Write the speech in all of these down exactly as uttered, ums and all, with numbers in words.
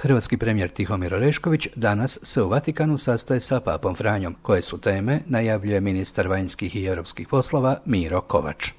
Hrvatski premijer Tihomir Orešković danas se u Vatikanu sastaje sa papom Franjom. Koje su teme, najavljuje ministar vanjskih i europskih poslova Miro Kovač.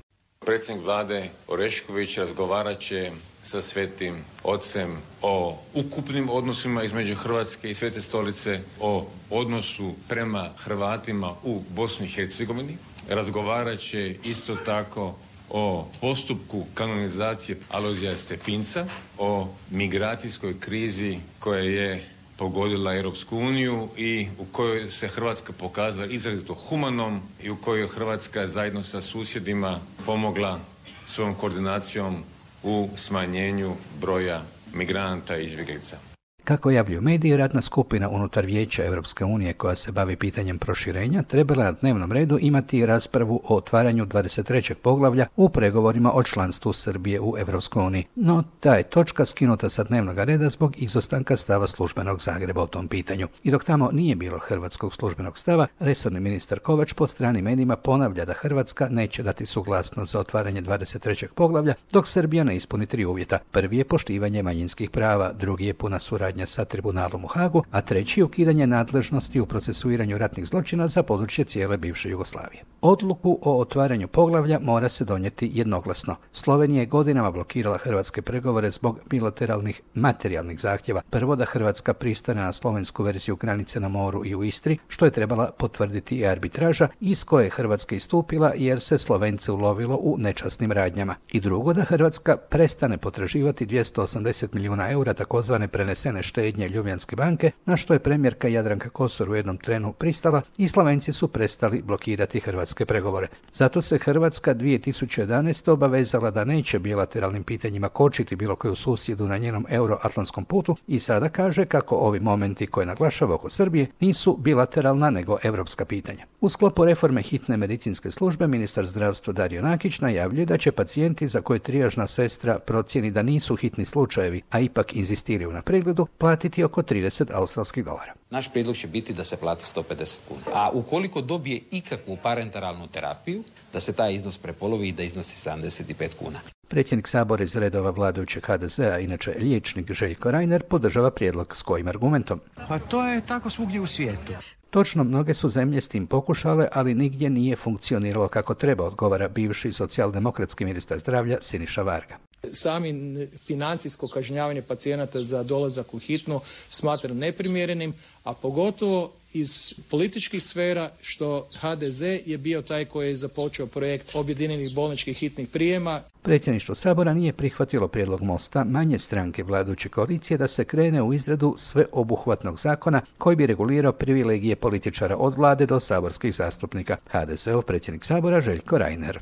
Predsjednik vlade Orešković razgovarat će sa Svetim Ocem o ukupnim odnosima između Hrvatske i Svete Stolice, o odnosu prema Hrvatima u Bosni i Hercegovini. Razgovarat će isto tako o postupku kanonizacije Alojzija Stepinca, o migracijskoj krizi koja je pogodila Europsku uniju i u kojoj se Hrvatska pokazala izrazito humanom i u kojoj Hrvatska zajedno sa susjedima pomogla svojom koordinacijom u smanjenju broja migranata i izbjeglica. Kako javljaju mediji, radna skupina unutar Vijeća Europske unije koja se bavi pitanjem proširenja trebala na dnevnom redu imati raspravu o otvaranju dvadeset trećeg poglavlja u pregovorima o članstvu Srbije u Europskoj uniji. No, ta je točka skinuta sa dnevnog reda zbog izostanka stava službenog Zagreba o tom pitanju. I dok tamo nije bilo hrvatskog službenog stava, resorni ministar Kovač po strani medijima ponavlja da Hrvatska neće dati suglasnost za otvaranje dvadeset trećeg poglavlja dok Srbija ne ispuni tri uvjeta. Prvi je poštivanje manjinskih prava, drugi je puna suradnja sa tribunalom u Hagu, a treći ukidanje nadležnosti u procesuiranju ratnih zločina za područje cijele bivše Jugoslavije. Odluku o otvaranju poglavlja mora se donijeti jednoglasno. Slovenija je godinama blokirala hrvatske pregovore zbog bilateralnih materijalnih zahtjeva. Prvo da Hrvatska pristane na slovensku verziju granice na moru i u Istri, što je trebala potvrditi i arbitraža iz koje je Hrvatska istupila jer se Slovence ulovilo u nečasnim radnjama. I drugo da Hrvatska prestane potraživati dvjesto osamdeset milijuna eura takozvane prenesene štednje Ljubljanske banke, na što je premijerka Jadranka Kosor u jednom trenu pristala i Slovenci su prestali blokirati hrvatske pregovore. Zato se Hrvatska dvije tisuće jedanaeste. obavezala da neće bilateralnim pitanjima kočiti bilo koju susjedu na njenom euroatlantskom putu i sada kaže kako ovi momenti koje naglašava oko Srbije nisu bilateralna nego europska pitanja. U sklopu reforme hitne medicinske službe ministar zdravstva Dario Nakić najavljuje da će pacijenti za koje trijažna sestra procijeni da nisu hitni slučajevi, a ipak inzistiraju na pregledu, platiti oko trideset australskih dolara. Naš prijedlog će biti da se plati sto pedeset kuna. A ukoliko dobije ikakvu parenteralnu terapiju, da se taj iznos prepolovi i da iznosi sedamdeset pet kuna. Predsjednik Sabora iz redova vladajućeg ha de zea, inače liječnik Željko Reiner, podržava prijedlog s kojim argumentom. Pa to je tako svugdje u svijetu. Točno, mnoge su zemlje s tim pokušale, ali nigdje nije funkcioniralo kako treba, odgovara bivši socijaldemokratski ministar zdravlja Siniša Varga. Sami financijsko kažnjavanje pacijenata za dolazak u hitnu smatram neprimjerenim, a pogotovo iz političkih sfera što ha de ze je bio taj koji je započeo projekt objedinjenih bolničkih hitnih prijema. Predsjedništvo Sabora nije prihvatilo prijedlog Mosta, manje stranke vladajuće koalicije, da se krene u izradu sveobuhvatnog zakona koji bi regulirao privilegije političara od vlade do saborskih zastupnika. ha de zeov predsjednik Sabora Željko Reiner.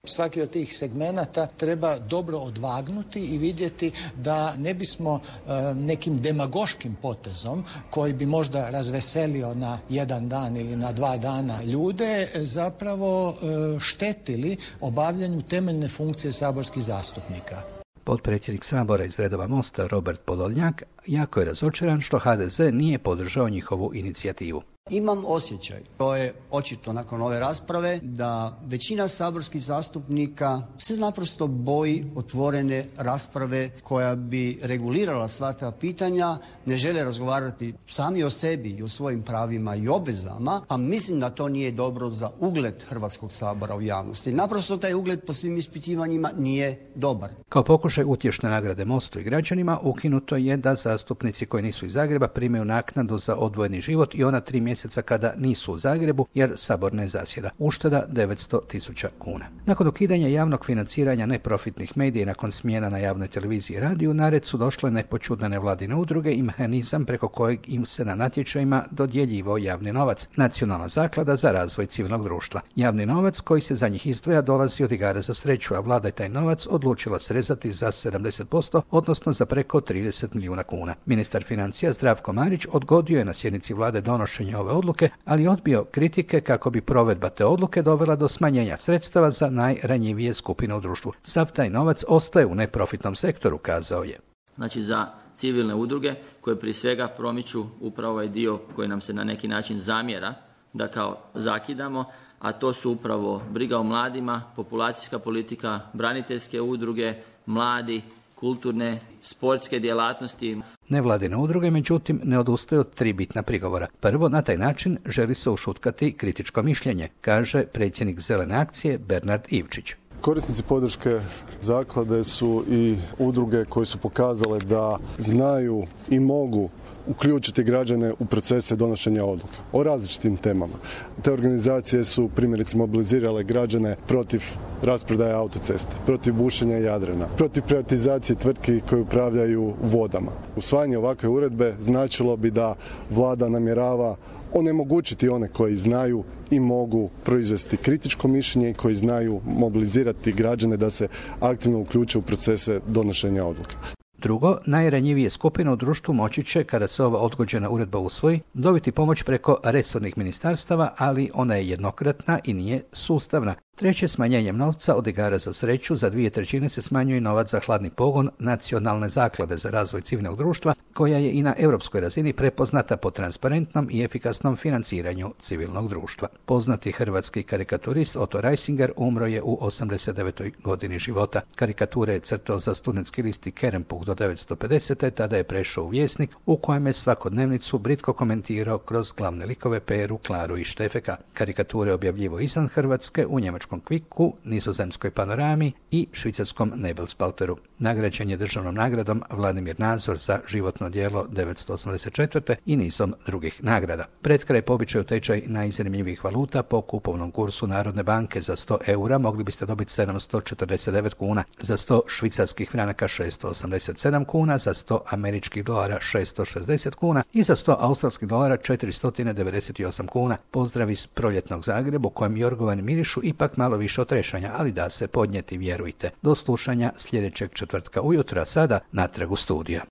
Svaki od tih segmenata treba dobro odvagnuti i vidjeti da ne bismo e, nekim demagoškim potezom koji bi možda razveselio na jedan dan ili na dva dana ljude zapravo e, štetili obavljanju temeljne funkcije saborskih zastupnika. Potpredsjednik Sabora iz redova Mosta Robert Podolnjak jako je razočaran što ha de ze nije podržao njihovu inicijativu. Imam osjećaj, to je očito nakon ove rasprave, da većina saborskih zastupnika se naprosto boji otvorene rasprave koja bi regulirala sva ta pitanja, ne žele razgovarati sami o sebi i o svojim pravima i obvezama, a mislim da to nije dobro za ugled Hrvatskog sabora u javnosti. Naprosto taj ugled po svim ispitivanjima nije dobar. Kao pokušaj utješne nagrade Mostu i građanima, ukinuto je da zastupnici koji nisu iz Zagreba primaju naknadu za odvojeni život i ona tri mjeseca kada nisu u Zagrebu jer Sabor ne zasjeda. Ušteda devetsto tisuća kuna. Nakon ukidanja javnog financiranja neprofitnih medija i nakon smjena na javnoj televiziji i radiju, na red su došle nepoćudne nevladine udruge i mehanizam preko kojeg im se na natječajima dodjeljivao javni novac. Nacionalna zaklada za razvoj civilnog društva. Javni novac koji se za njih izdvaja dolazi od igara za sreću, a vlada je taj novac odlučila srezati za sedamdeset posto, odnosno za preko trideset milijuna kuna. Ministar financija Zdravko Marić odgodio je na sjednici vlade donošenje ove odluke, ali odbio kritike kako bi provedba te odluke dovela do smanjenja sredstava za najranjivije skupine u društvu. Sav taj novac ostaje u neprofitnom sektoru, kazao je. Znači za civilne udruge koje prije svega promiču upravo ovaj dio koji nam se na neki način zamjera da kao zakidamo, a to su upravo briga o mladima, populacijska politika, braniteljske udruge, mladi, kulturne, sportske djelatnosti. Nevladine udruge, međutim, ne odustaju od tri bitna prigovora. Prvo, na taj način želi se ušutkati kritičko mišljenje, kaže predsjednik Zelene akcije Bernard Ivčić. Korisnici podrške zaklade su i udruge koje su pokazale da znaju i mogu uključiti građane u procese donošenja odluka o različitim temama. Te organizacije su primjerice mobilizirale građane protiv rasprodaje autoceste, protiv bušenja Jadrana, protiv privatizacije tvrtki koje upravljaju vodama. Usvajanje ovakve uredbe značilo bi da vlada namjerava onemogućiti one koji znaju i mogu proizvesti kritičko mišljenje i koji znaju mobilizirati građane da se aktivno uključe u procese donošenja odluka. Drugo, najranjivije skupine u društvu moći će, kada se ova odgođena uredba usvoji, dobiti pomoć preko resornih ministarstava, ali ona je jednokratna i nije sustavna. Treće, smanjenjem novca od igara za sreću za dvije trećine se smanjuje novac za hladni pogon Nacionalne zaklade za razvoj civilnog društva, koja je i na europskoj razini prepoznata po transparentnom i efikasnom financiranju civilnog društva. Poznati hrvatski karikaturist Otto Reisinger umro je u osamdeset devetoj godini života. Karikature je crtao za studentski listi Kerempuh do devetsto pedesete. Tada je prešao u Vjesnik, u kojem je svakodnevnicu britko komentirao kroz glavne likove Peru, Klaru i Štefeka. Karikature je objavljivo izvan Hrvatske u njemačkom Kviku, nizozemskoj Panorami i švicarskom Nebelspalteru. Nagrađen je državnom nagradom Vladimir Nazor za životno djelo devetsto osamdeset četvrte i nizom drugih nagrada. Pred kraj po običaju tečaj najzanimljivijih valuta po kupovnom kursu Narodne banke za sto eura mogli biste dobiti sedamsto četrdeset devet kuna, za sto švicarskih franaka šesto osamdeset sedam kuna, za sto američkih dolara šesto šezdeset kuna i za sto australskih dolara četiristo devedeset osam kuna. Pozdrav iz proljetnog Zagreba u kojem jorgovani mirišu ipak malo više od trešanja, ali da se podnijeti, vjerujte. Do slušanja sljedećeg četvrtka ujutro, a sada natrag u studija.